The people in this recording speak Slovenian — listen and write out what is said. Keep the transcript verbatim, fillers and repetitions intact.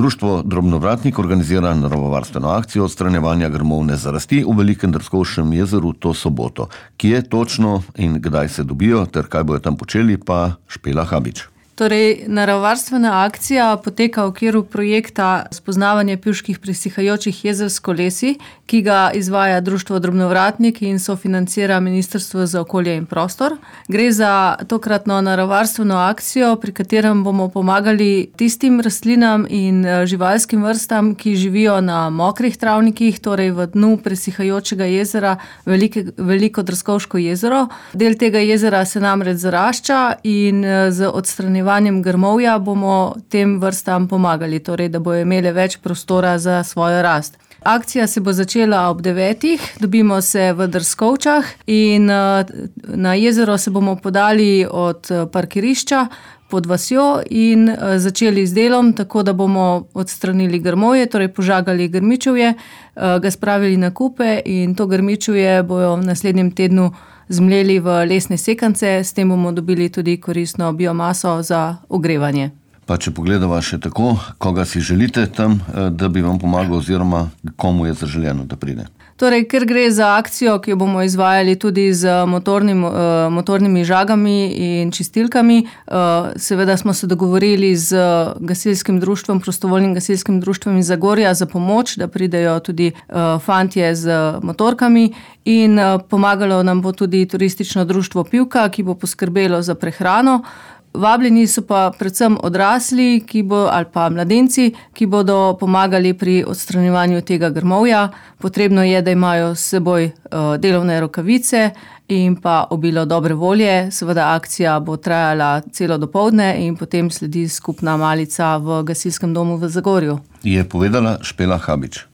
Društvo Drobnovratnik organizira naravovarstveno akcijo odstranjevanja grmovne zarasti v Velikem Drskovškem jezeru to soboto. Kje točno in kdaj se dobijo ter kaj bojo tam počeli, pa Špela Habič. Torej, naravovarstvena akcija poteka v okviru projekta Spoznavanje pivških presihajočih jezer s kolesi, ki ga izvaja Društvo Drobnovratnik in sofinancira Ministrstvo za okolje in prostor. Gre za tokratno naravovarstveno akcijo, pri katerem bomo pomagali tistim rastlinam in živalskim vrstam, ki živijo na mokrih travnikih, torej v dnu presihajočega jezera Velike, Veliko Drskovško jezero. Del tega jezera se namreč zarašča in z odstranjevanjem grmovja bomo tem vrstam pomagali, torej da bojo imele več prostora za svojo rast. Akcija se bo začela ob devetih, dobimo se v Drskovčah in na jezero se bomo podali od parkirišča pod vasjo in začeli z delom, tako da bomo odstranili grmovje, torej požagali grmičevje, ga spravili na kupe in to grmičevje bojo v naslednjem tednu zmleli v lesne sekance, s tem bomo dobili tudi koristno biomaso za ogrevanje. Pa če pogledava še tako, koga si želite tam, da bi vam pomagal oziroma komu je zaželeno, da pride? Torej, ker gre za akcijo, ki jo bomo izvajali tudi z motornim, motornimi žagami in čistilkami, seveda smo se dogovorili z gasilskim društvom, prostovoljnim gasilskim društvom iz Zagorja za pomoč, da pridejo tudi fantje z motorkami in pomagalo nam bo tudi turistično društvo Pivka, ki bo poskrbelo za prehrano. Vabljeni so pa predvsem odrasli, ki bo, ali pa mladenci, ki bodo pomagali pri odstranjevanju tega grmovja. Potrebno je, da imajo s seboj delovne rokavice in pa obilo dobre volje. Seveda akcija bo trajala celo dopoldne in potem sledi skupna malica v gasilskem domu v Zagorju. Je povedala Špela Habič.